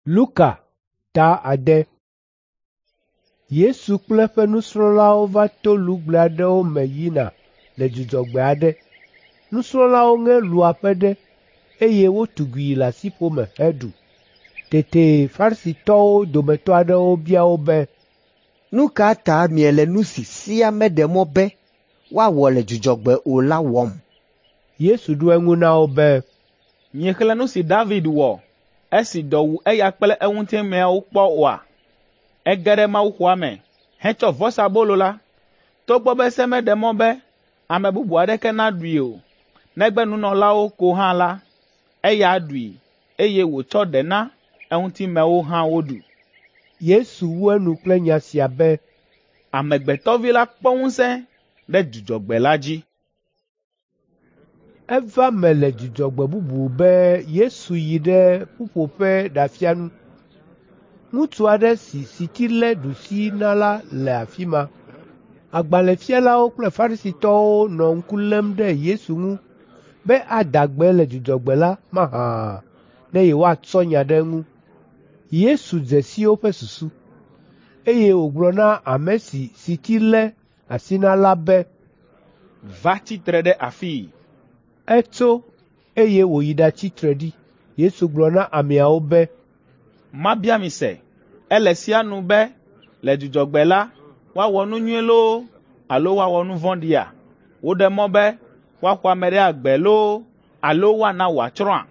Luka ta 6. Yesu kple eƒe nusrɔ̃lawo va to lugble aɖewo me yina le dzudzɔgbe aɖe. Nusrɔ̃lawo ŋe lua ƒe ɖe, eye wotugui le asiƒome heɖu. Tete Farisitɔwo dometɔ aɖewo bia wo be, “Nu ka ta miele nu si sea meɖe mɔ be woawɔ le dzudzɔgbe o la wɔm?” Yesu ɖo eŋu na wo be, “Miexlẽ nu si David wɔ esi dɔ wu eya kple eŋutimeawo kpɔ oa? Ege ɖe mawuxɔa me hetsɔ vɔsabolo la, togbɔ be se meɖe mɔ be ame bubu aɖeke naɖui o, negbe nunɔlawo ko hã la, eya ɖui, eye wòtsɔ ɖe na eŋutimewo hã woɖu.” Yesu wu enu kple nya sia be, “Amegbetɔvi la kpɔ ŋusẽ ɖe dzudzɔgbe la dzi.” Eva me le dzudzɔgbe bubu be Yesu yi ɖe ƒuƒoƒe ɖafia nu. Ŋutsu aɖe si siti lé ɖusi na la le afi ma. Agbalẽfialawo kple Farisitɔwo nɔ ŋku lém ɖe Yesu ŋu be ada gbe le dzudzɔgbe la mahã ne yewoatsɔ nya ɖe eŋu. Yesu dze si woƒe susu, eye wògblɔ na ame si siti lé asi na la be, “Va tsi tre ɖe afii.” Etso, eye wòyi ɖatsi tre ɖi. Yesu gblɔ na ameawo be, “Mabia mi se, ele sea nu be le dzudzɔgbe la, woawɔ nu nyui loo alo woawɔ nu vɔ̃ɖia? Woɖe mɔ be woaxɔ ame ɖe agbe loo alo woana wòatsrɔ̃a?”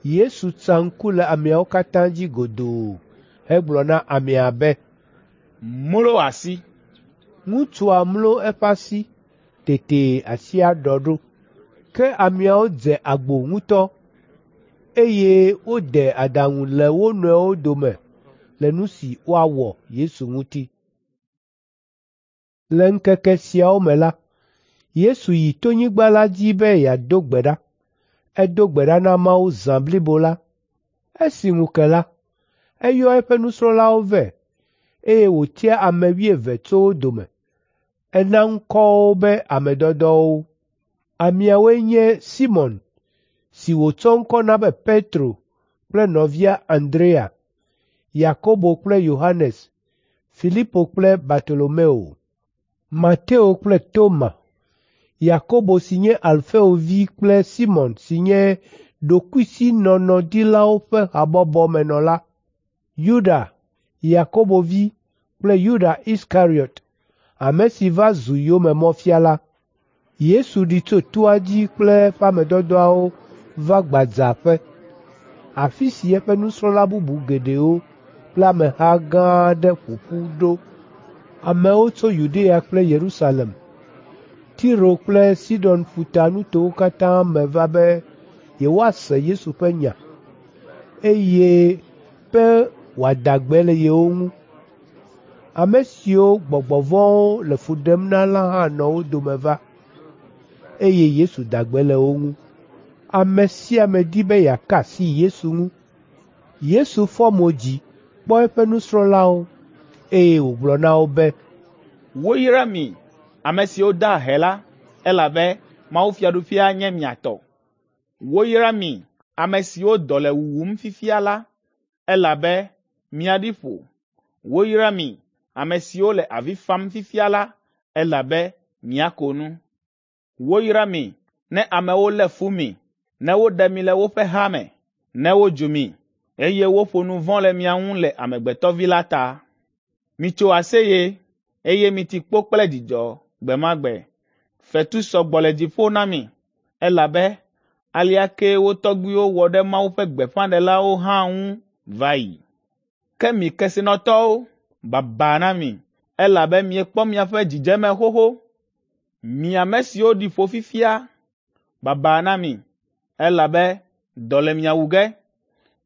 Yesu tsa ŋku le ameawo katã dzi godoo hegblɔ na amea be, “Mlo asi.” Ŋutsua mlo eƒe asi, tete asia ɖɔ ɖo. Ke ameawo dze agbo ŋutɔ, eye wode aɖaŋu le wo nɔewo dome le nu si woawɔ Yesu ŋuti. Le ŋkeke siawo me la, Yesu yi tonyigba la dzi be yeado gbe ɖa. Edo gbe ɖa na Mawu zã blibo la. Esi ŋu ke la, eyɔ eƒe nusrɔ̃lawo vɛ, eye wòtia ame wuieve tso wo dome. Ena ŋkɔwo be ame dɔdɔwo. Ameawoe nye Simɔn si wòtsɔ ŋkɔ na be Petro kple nɔvia Andrea, Yakobo kple Yohanes, Filipo kple Bartolomeo, Mateo kple Toma, Yakobo si nye Alfeo vi kple Simɔn si nye ɖokuisinɔnɔdilawo ƒe habɔbɔmenɔla, Yuda, Yakobo vi kple Yuda Iskariɔt, ame si va zu yomemɔfiala. Yesu ɖi tso toa dzi kple eƒe ame dɔdɔawo va gbadzaƒe, afi si eƒe nusrɔ̃la bubu geɖewo kple ameha gã aɖe ƒo ƒu ɖo. Amewo tso Yudea kple Yerusalem, Tiro kple Sidon ƒuta nutowo katã me va be yewoase Yesu ƒe nya, eye be wòada gbe le yewo ŋu. Ame siwo gbɔgbɔ vɔ̃wo le fu ɖem na la hã nɔ wo dome va, eye Yesu da gbe le wo ŋu. Ame sia ame di be yeaka asi Yesu ŋu. Yesu fɔ mo dzi kpɔ eƒe nusrɔ̃lawo, eye wògblɔ na wo be, “Woyra mi, ame siwo da ahe la, elabe mawufiaɖuƒea nye mia tɔ. Woyra mi, ame siwo dɔ le wuwum fifia la, elabe miaɖi ƒo. Woyra mi, ame siwo le avi fam fifia la, elabe miako nu. Woyra mi ne amewo lé fu mi, ne woɖe mi le woƒe ha me, ne wodzu mi, eye woƒo nu vɔ̃ le mia ŋu le Amegbetɔ Vi la ta. Mitso aseye, eye miti kpo kple dzidzɔ gbe ma gbe. Fetu sɔ gbɔ le dziƒo na mi, elabe alea kee wo tɔgbuiwo wɔ ɖe Mawu ƒe gbeƒãɖelawo hã ŋu va yi. Ke mi kesinɔtɔwo, baba na mi, elabe miekpɔ miaƒe dzidzeme xoxo. Mi ame siwo ɖi ƒo fifia, baba na mi, elabe dɔ le mia wu ge.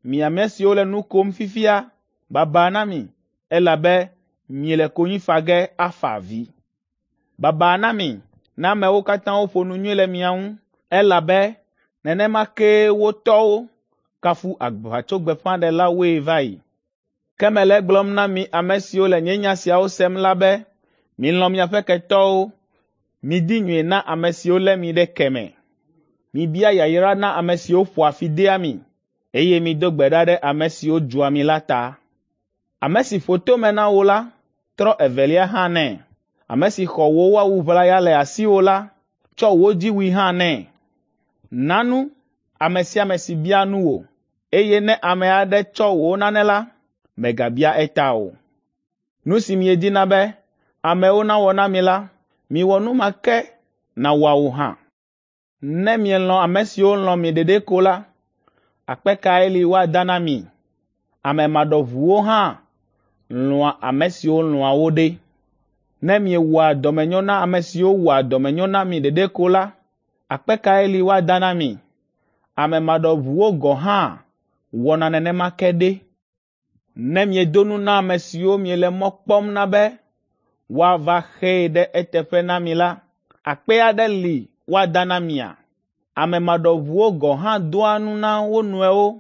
Mi ame siwo le nu kom fifia, baba na mi, elabe miele konyi fa ge afa avi. Baba na mi ne amewo katã ƒo nu nyui le mia ŋu, elabe nenema kee wo tɔwo kafu aʋatsogbeƒãɖelawoe va yi. Ke mele egblɔm na mi ame siwo le nye nya siawo sem la be, milɔ̃ miaƒe ketɔwo, midi nyui na ame siwo lé mi ɖe ke me. Mibia yayra na ame siwo ƒoa fi dea mi. eye mido gbe ɖa ɖe ame siwo dzua mi la ta. Ame si ƒo tome na wò la, trɔ evelia hã nɛ. Ame si xɔ wò awu ʋlaya le asiwò la, tsɔ wò dziwui hã nɛ. Na nu ame sia ame si bia nu wò, eye ne ame aɖe tsɔ wò nane la, mègabia eta o. Nu si miedina be amewo nawɔ na mi la, miwɔ nu ma ke na woawo hã. Ne mielɔ̃ ame siwo lɔ̃ mi ɖeɖe ko la, akpe kae li woada na mi? Ame maɖɔʋuwo hã lɔ̃a ame siwo lɔ̃a wo ɖe. Ne miewɔa dɔmenyo na ame siwo wɔa dɔmenyo na mi ɖeɖe ko la, akpe kae li woada na mi? Ame maɖɔʋuwo gɔ̃ hã wɔna nenema ke ɖe. Ne miedo nu na ame siwo miele mɔ kpɔm na be woava xee ɖe eteƒe na mi la, akpe aɖe li woada na mia? Ame maɖɔʋuwo gɔ̃ hã doa nu na wo nɔewo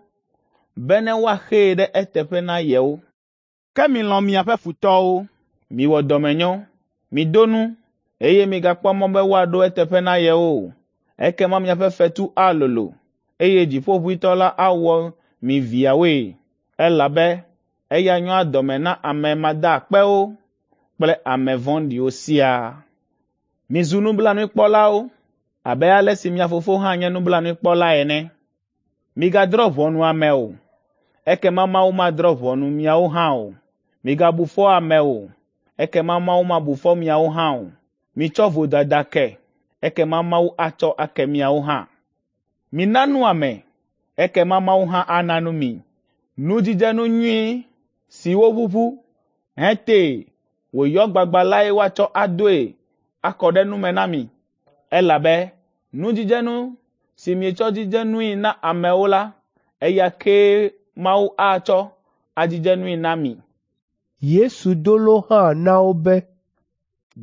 bene woaxee ɖe eteƒe na yewo. Ke milɔ̃ miaƒe futɔwo, miwɔ dɔmenyo, mido nu, eye migakpɔ mɔ be woaɖo eteƒe na yewo o. Ekema miaƒe fetu alolo, eye Dziƒoʋĩtɔ la awɔ mi viawoe, elabe eya nyoa dɔme na ame madaakpewo kple ame vɔ̃ɖiwo siaa. Mizu nublanuikpɔlawo abe ale si mia Fofo hã nye nublanuikpɔla ene. Migadrɔ̃ ʋɔnu ame o, ekema Mawu madrɔ̃ ʋɔnu miawo hã o. Migabu fɔ ame o, ekema Mawu mabu fɔ miawo hã o. Mitsɔ vodada ke, ekema Mawu atsɔ ake miawo hã. Mina nu ame, ekema Mawu hã ana nu mi. Nudzidzenu nyui si woʋuʋu hetee wòyɔ gbagba lae woatsɔ adoe akɔ ɖe nu me na mi, elabe nudzidzenu si mietsɔ dzidze nui na amewo la, eya kee Mawu atsɔ adzidze nui na mi. Yesu do lo hã na wo be,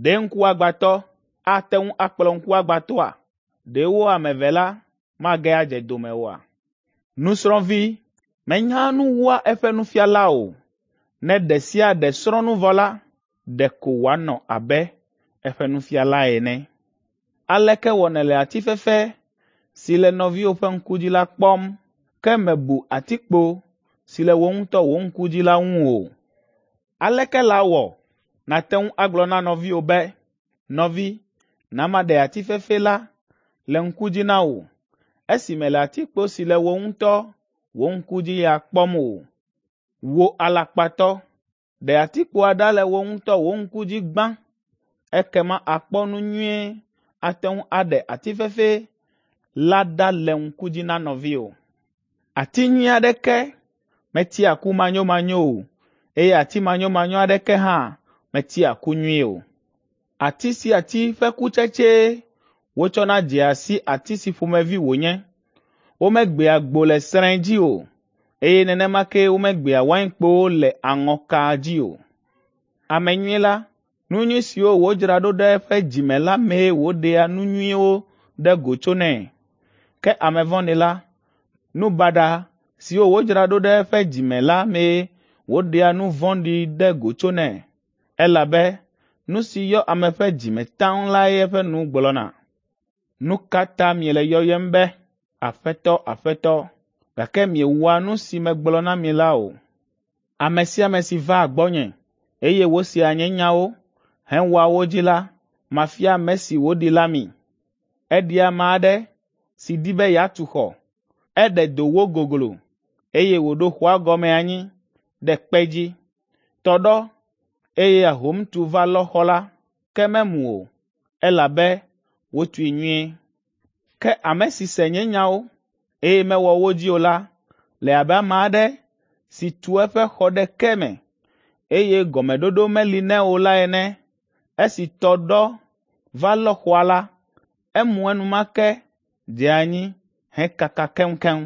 Ɖe ŋkuagbãtɔ ate ŋu akplɔ ŋkuagbãtɔa? Ɖe wo ame eve la mage adze dome oa? Nusrɔ̃vi menyaa nu wua eƒe nufiala o. Ne ɖe sia ɖe srɔ̃ nu vɔ la, ɖeko wòanɔ abe eƒe nufiala ene. Aleke wɔ nèle ati fefe si le nɔviwò ƒe ŋku dzi la kpɔm, ke mèbu atikpo si le wò ŋutɔ wò ŋku dzi la ŋu o? Aleke lawɔ nàte ŋu agblɔ na nɔviwò be, ‘Nɔvi, na maɖe ati fefe la le ŋku dzi na wò,’ esi mèle atikpo si le wò ŋutɔ wò ŋku dzi ya kpɔm o? Wò alakpatɔ, ɖe atikpoa ɖa le wò ŋutɔ wò ŋku dzi gbã, ekema àkpɔ nu nyuie ate ŋu aɖe ati fefe la ɖa le ŋku dzi na nɔviwò. Ati nyui aɖeke metia ku manyomanyo o, eye ati manyomanyo aɖeke hã metia ku nyui o. Ati sia ati ƒe kutsetsee wotsɔna dzea si ati si ƒomevi wònye. Womegbea gbo le srẽ dzi o, eye nenema ke womegbea wainkpowo le aŋɔka dzi o. Ame nyui la, nu nyui siwo wòdzra ɖo ɖe eƒe dzi me la mee wòɖea nu nyuiwo ɖe go tsonɛ. Ke ame vɔ̃ɖi la, nu baɖa siwo wòdzra ɖo ɖe eƒe dzi me la mee wòɖea nu vɔ̃ɖi ɖe go tsonɛ, elabe nu si yɔ ame ƒe dzi me taŋ lae eƒe nu gblɔna. Nu ka ta miele yɔyem be, ‘Aƒetɔ, Aƒetɔ,’ gake miewɔa nu si megblɔ na mi la o? Ame sia ame si vaa gbɔnye, eye wòsea nye nyawo hewɔa wo dzi la, mafia ame si wòɖi la mi. Eɖi ame aɖe si di be yeatu xɔ. Eɖe do wogoglo, eye wòɖo xɔa gɔme anyi ɖe kpe dzi. Tɔ ɖɔ, eye ahom tu va lɔ xɔ la, ke memu o, elabe wotui nyuie. Ke ame si se nye nyawo, eye mewɔ wo dzi o la, le abe ame aɖe si tu eƒe xɔ ɖe ke me, eye gɔmeɖoɖo meli nɛ o la ene. Esi tɔ ɖɔ va lɔ xɔa la, emu enumake dze anyi hekaka keŋkeŋ.